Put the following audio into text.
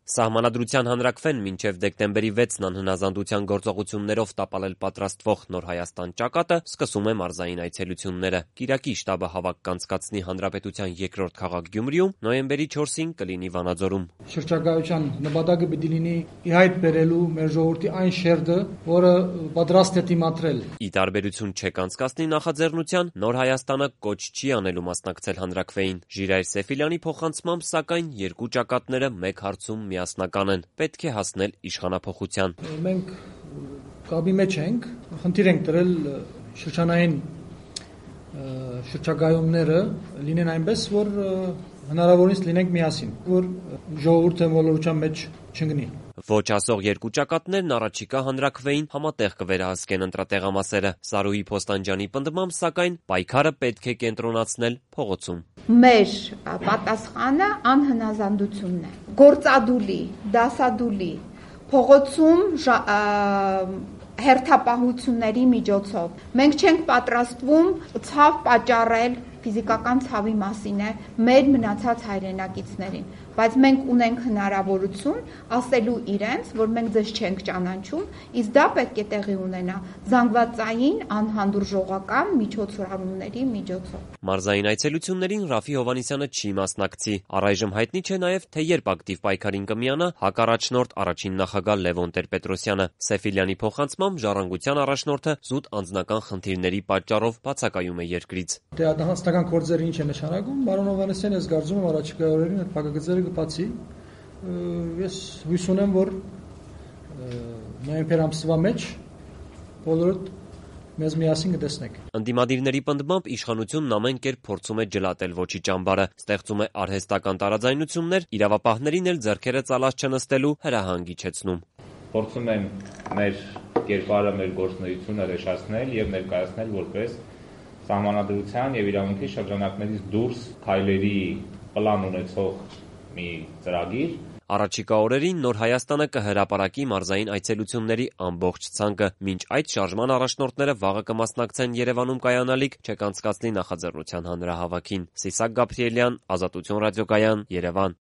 Սահմանադրության հանրաքվեն մինչև դեկտեմբերի 6-ն անհնազանդության գործողություններով տապալել պատրաստվող Նոր Հայաստան ճակատը սկսում է մարզային այցելությունները։ Կիրակի շտաբը հավաք կանցկացնի հանրապետության երկրորդ քաղաք Գյումրիում, նոյեմբերի 4-ին կլինի Վանաձորում։ Շրջագայության նպատակը պիտի լինի ի հայտ բերելու մեր ժողովրդի այն շերտը, որը պատրաստ է դիմադրել։ Ի տարբերություն չեք անցկացնի նախաձեռնության, Նոր Հայաստանը կոչ չի անելու մասնակցել հանրաքվեին։ Ժիրայր Սեֆիլյանի փոխանցմամբ, սակայն երկու ճակատները մեկ հարցում միասնական են՝ պետք է հասնել իշխանափոխության։ Մենք կապի մեջ ենք, խնդիր ենք դրել շրջանային շրջագայումները լինեն այնպես, որ հնարավորինս լինենք միասին, որ ժողովուրդը մոլորության մեջ չընկնի։ Ոչ ասող երկու ճակատներն առաջիկա հանրաքվեին համատեղ կվերահսկեն ընտրատեղամասերը։ Սարուհի Փոստանջյանի պնդմամբ, սակայն, պայքարը պետք է կենտրոնացնել փողոցում։ Մեր պատասխանը անհնազանդությունն է։ Գործադուլի, դասադուլի, փողոցում հերթապահությունների միջոցով։ Մենք չենք պատրաստվում ցավ պատճառել, ֆիզիկական ցավի մասին է, մեր մնացած հայրենակիցներին, բայց մենք ունենք հնարավորություն ասելու իրենց, որ մենք ձեզ չենք ճանաչում, իսկ դա պետք է տեղի ունենա զանգվածային անհանդուրժողական միջոցառումների միջոցով։ Մարզային այցելություններին Ռաֆի Հովհաննիսյանը չի մասնակցի։ Առայժմ հայտնի չէ նաև, թե երբ ակտիվ պայքարին կմիանա հակառաջնորդ առաջին նախագահ Լևոն Տեր-Պետրոսյանը։ Սեֆիլյանի փոխանցմամբ, Ժառանգության առաջնորդը զուտ անձնական խնդիրների պատճառով բացակայում է երկրից։ Անձնական գործերը ինչ է նշանակում, պարոն Հովհաննիսյան, ես կարծում եմ առաջիկա օրերին այդ փակագծերը կբացի։ Ես հույս ունեմ, որ նոյեմբեր ամսվա մեջ բոլորդ մեզ միասին կտեսնեք։ Ընդդիմադիրների պնդմամբ, իշխանությունն ամեն կերպ փորձում է ջլատել ոչի ճամբարը, ստեղծում է արհեստական տարաձայնություններ, իրավապահներին էլ ձեռքերը ծալած չնստելու հրահանգ իջեցնում։ Փորձում են մեր կերպարը, մեր գործունեությունը ռեշացնել եւ ներկայացնել որպես սահմանադրության եւ իրավունքի շրջանակներից դուրս քայլերի պլան ունեցող մի ծրագիր։ Առաջիկա օրերին Նոր Հայաստանը կհրապարակի մարզային այցելությունների ամբողջ ցանկը։ Մինչ այդ շարժման առաջնորդները վաղը կմասնակցեն Երևանում կայանալիք չեկանցկացնի նախաձեռնության հանրահավաքին։ Սիսակ Գաբրիելյան, Ազատություն ռադիոկայան, Երևան։